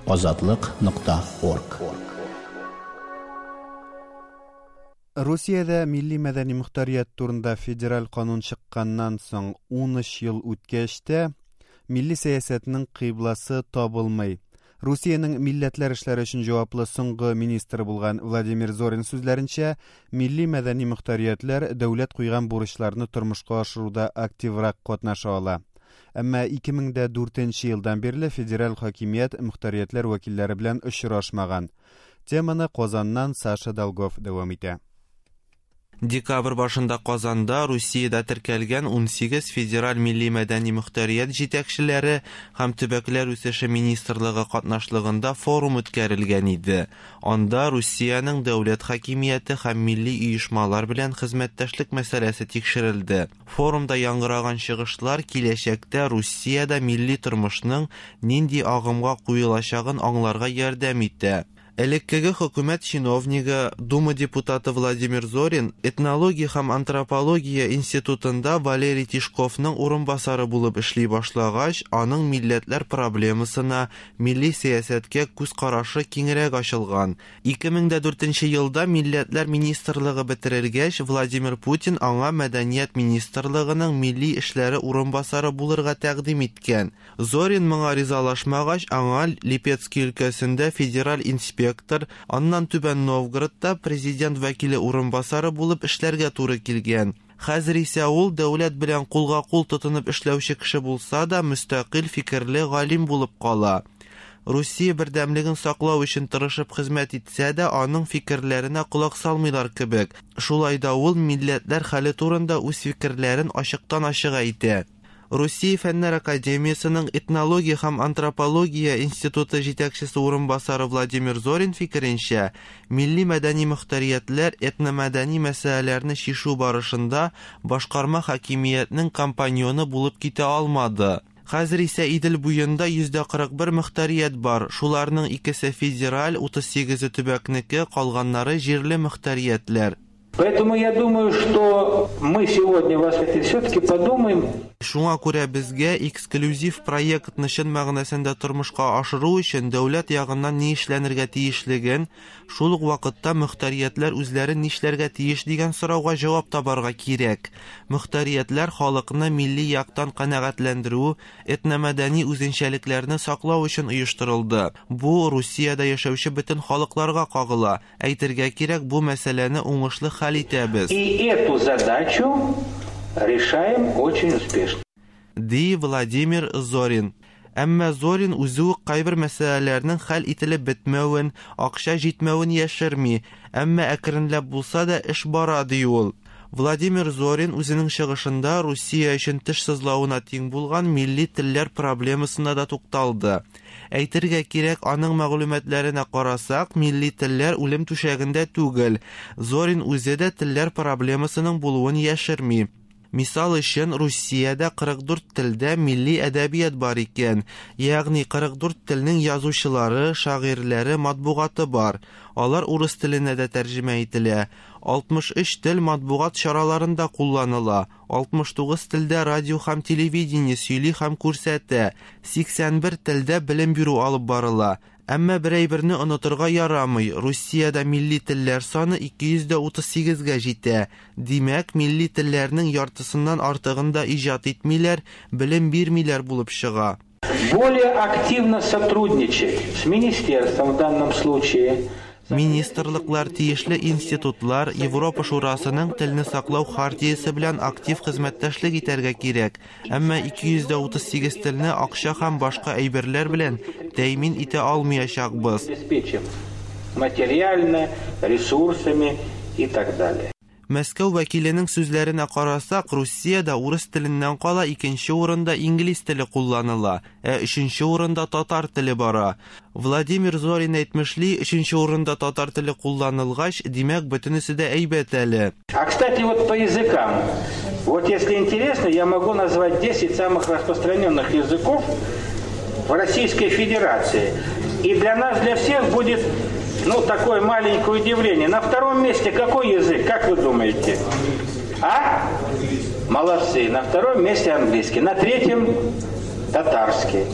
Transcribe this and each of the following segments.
Азатлык нокта орг. Русиядә милли мәдәни мохтарият турында федераль канун чыкканнан соң 13 ел үткәч тә, милли сәясәтнең кыйбласы табылмый. Русиянең милләтләр эшләре өчен җаваплы соңгы министры булган Владимир Зорин сүзләренчә, милли мәдәни мохтариятләр дәүләт куйган бурычларны тормышка ашыруда активрак катнаша ала. Әмма 2004 елдан бирле федераль хакимият мохтариятләр вәкилләре белән очрашмаган. Теманы Казаннан Саша Долгов дәвам итә. Декабрь башында Казанда Русиядә теркәлгән 18 федераль милли мәдәни мохтарият җитәкчеләре һәм төбәкләр үсеше министрлыгы катнашлыгында форум үткәрелгән иде. Анда Русиянең дәүләт хакимияте һәм милли оешмалар белән хезмәттәшлек мәсьәләсе тикшерелде. Форумда яңгыраган чыгышлар киләчәктә Русиядә милли тормышның нинди агымга куелачагын аңларга ярдәм итә. Элеккеге хөкүмәт чиновнигы, Дума депутаты Владимир Зорин этнология һәм антропология институтында Валерий Тишковның урынбасары булып эшли башлагач, аның милләтләр проблемасына, милли сәясәткә күз карашы киңрәк ачылган. 2004 елда Милләтләр министрлыгы бетерелгәч, Владимир Путин аңа Мәдәният министрлыгының милли эшләре урынбасары булырга тәкъдим иткән. Зорин моңа ризалашмагач, аңа Липецкий өлкәсендә федераль инспектор, аннан Түбән Новгородта президент вәкиле урынбасары булып эшләргә туры килгән. Хәзер исә ул дәүләт белән кулга-кул тотынып эшләүче кеше булса да, мөстәкыйль фикерле галим булып кала. Русия бердәмлеген саклау өчен тырышып хезмәт итсә дә, аның фикерләренә колак салмыйлар кебек. Шулай да ул милләтләр хәле турында үз фикерләрен ачыктан-ачык әйтә. Русия Фәннәр Академиясенең этнология һәм антропология институты җитәкчесе урынбасары Владимир Зорин фикеренчә, милли мәдәни мохтариятләр этномәдәни мәсьәләләрне чишү барышында башкарма хакимиятнең компаньоны булып китә алмады. Хәзер исә Идел буенда 41% мохтарият бар. Шуларның икесе федераль, 38-е төбәкнеке, калганнары җирле мохтариятләр. Поэтому я думаю, что мы сегодня вас все-таки подумаем. Шуңа күрә безгә эксклюзив проектны чын мәгънәсендә тормышка ашыру өчен дәүләт ягыннан ни эшләнергә тиешлеген, шул ук вакытта мохтариятләр үзләре нишләргә тиеш дигән сорауга җавап табарга кирәк. Мохтариятләр халыкны милли яктан канәгатьләндерү, этномәдәни үзенчәлекләрне саклау өчен оештырылды. Бу Русиядә яшәүче бөтен халыкларга кагыла. Әйтергә кирәк, бу мәсьәләне уңышлы хәл итәбез. И эту задачу решаем очень успешно. Ди Владимир Зорин. Әмма Зорин үзе үк кайбер мәсьәләләрнең хәл ителеп бетмәвен, акча җитмәвен яшерми, әмма әкренләп булса да эш бара, ди ул. Владимир Зорин үзенең чыгышында Русия өчен теш сызлавына тиң булган милли телләр проблемасына да тукталды. Әйтергә кирәк, аның мәгълүматларына карасак, милли телләр үлем түшәгендә түгел. Зорин үзе дә телләр проблемасының булуын яшерми. Мисал өчен, Русиядә 44 телдә милли әдәбият бар икән. Ягъни 44 телнең язучылары, шагыйрьләре, матбугаты бар. Алар урыс теленә дә тәрҗемә ителә. 63 тел матбугат чараларында кулланыла. 69 телдә радио һәм телевидение сөйли һәм күрсәтә. 81 телдә белем бирү алып барыла. Әмма бер әйберне онытырга ярамый. Русиядә милли телләр саны 238-гә җитә. Димәк, милли телләрнең яртысыннан артыгын да иҗат итмиләр, белем бирмиләр булып чыга. Более активно сотрудничать с министерством в данном случае. Министрлыклар, тиешле институтлар, Европа Шурасының телне саклау хартиясе белән актив хезмәттәшлек итәргә кирәк. Әмма 238 телне акча һәм башка әйберләр белән тәэмин итә алмаячакбыз. Обеспечим материально, ресурсами и так далее. Мәскәү вәкиленең сүзләренә карасак, Русиядә урыс теленнән кала икенче урында инглиз теле кулланыла, ә өченче урында татар теле бара. Владимир Зорин әйтмешли, өченче урында татар теле кулланылгач, димәк, бөтенесе дә әйбәт әле. А, кстати, вот по языкам. Вот если интересно, я могу назвать 10 самых распространенных языков в Российской Федерации. И для нас, для всех будет, такое маленькое удивление. На втором месте какой язык, как вы думаете? А? Молодцы. На втором месте английский. На третьем татарский.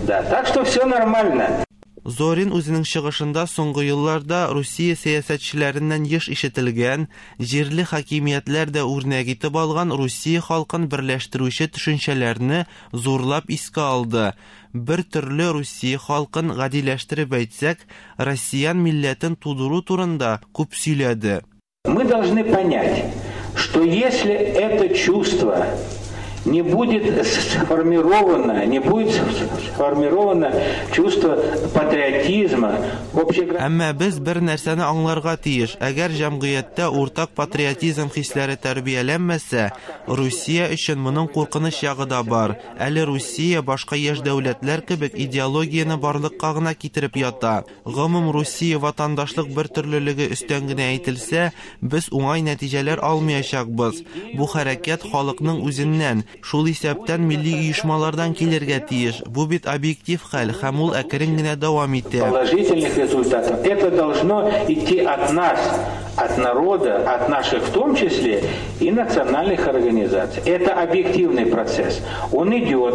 Да, так что все нормально. Зорин үзенең чыгышында соңгы елларда Русия сәясәтчеләреннән еш ишетелгән, җирле хакимиятләр дә үрнәк итеп алган Русия халкын берләштерүче төшенчәләрне зурлап искә алды. Бер төрле Русия халкын гадиләштереп әйтсәк, россиян милләтен тудыру турында күп сөйләде. Мы должны понять, что если это чувство не будет сформировано, не будет сформировано чувство патриотизма, Әмма без бер нәрсәне аңларга тиеш. Әгәр җәмгыятьтә уртак патриотизм хисләре тәрбияләнмәсә, Русия өчен моның куркыныч ягы да бар. Әле Русия башка яшь дәүләтләр кебек идеологияне барлыкка гына китереп ята. Гомум Русия ватандашлык бер төрлелеге өстән генә әйтелсә, без уңай нәтиҗәләр алмаячакбыз. Бу хәрәкәт халыкның үзеннән, шул исәптән милли оешмалардан килергә тиеш. Бу бит объектив хәл һәм ул әкрен генә дәвам итә. Положительных результатов. Это должно идти от нас, от народа, от наших в том числе и национальных организаций. Это объективный процесс. Он идет.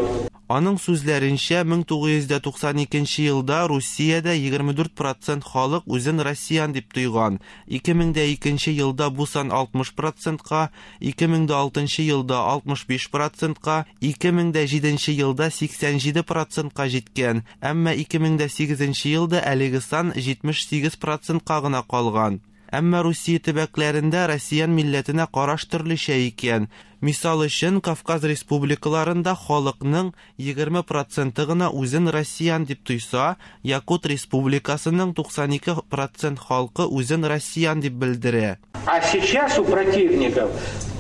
Аның сүзләренчә, 1992 елда Русиядә 24% халык үзен россиян дип тойган. 2002 елда бу сан 60%-ка, 2006 елда 65%-ка, 2007 елда 87%-ка җиткән. Әмма 2008 елда әлеге сан 78%-ка гына калган. Әмма Русия төбәкләрендә россиян милләтенә караш төрлечә икән. Мисал өчен, Кавказ республикаларында халыкның 20% гына үзен россиян дип тойса, Якут республикасының 92% халкы үзен россиян дип белдерә. А сейчас у противников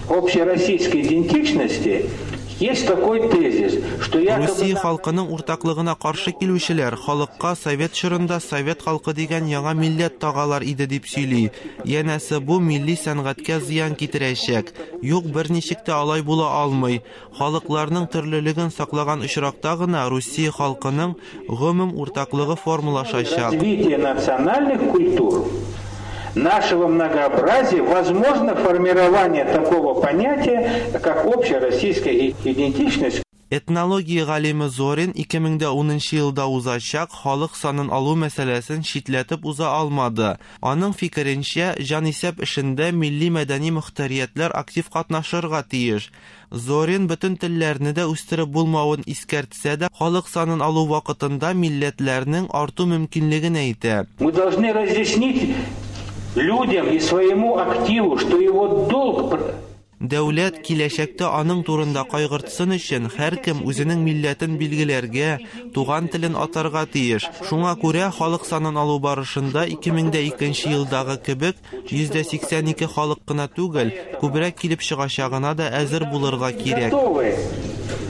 общероссийской идентичности есть такой тезис, что якобы... Русия халкының уртаклыгына каршы килүчеләр халыкка совет чорында совет халкы дигән яңа милләт тагалар иде дип сөйли. Янәсе бу милли сәнгатькә зыян китерәчәк. Юк, берничек тә алай була алмый. Халыкларның төрлелеген саклаган очракта гына Русия халкының гомум уртаклыгы формалашачак. Развитие национальных культур, нашего многообразия, возможно формирование такого понятия, как общероссийская идентичность. Этнология галиме Зорин 2010 елда узачак халык санын алу мәсьәләсен читләтеп уза алмады. Аның фикеренчә, җанисәп эшендә милли мәдәни мөхтәриятләр актив катнашырга тиеш. Зорин бөтен телләрне дә үстереп булмавын искәртсә дә, халык санын алу вакытында милләтләрнең арту мөмкинлеген әйтә. Мы должны разъяснить людям и своему активу, что его долг... Дәүләт киләчәктә аның турында кайгыртсын өчен һәркем үзенең милләтен билгеләргә, туган телен атарга тиеш. Шуңа күрә халык санын алу барышында 2002 елдагы кебек 82% халык кына түгел, күбрәк килеп чыгачагына да әзер булырга кирәк. Готовы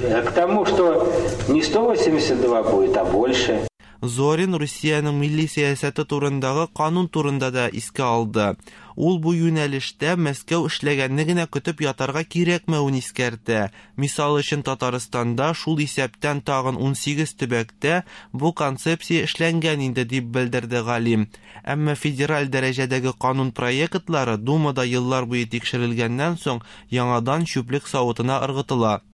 к тому, что не 182 будет, а больше. Зорин Русиянең милли сәясәте турындагы канун турында да искә алды. Ул бу юнәлештә Мәскәү эшләгәнне генә көтеп ятарга кирәкмәвен искәртә. Мисал өчен, Татарстанда, шул исәптән тагын 18 төбәктә бу концепция эшләнгән инде, дип белдерде галим. Әмма федераль дәрәҗәдәге канун проектлары Думада еллар буе тикшерелгәннән соң яңадан чүплек савытына ыргытыла.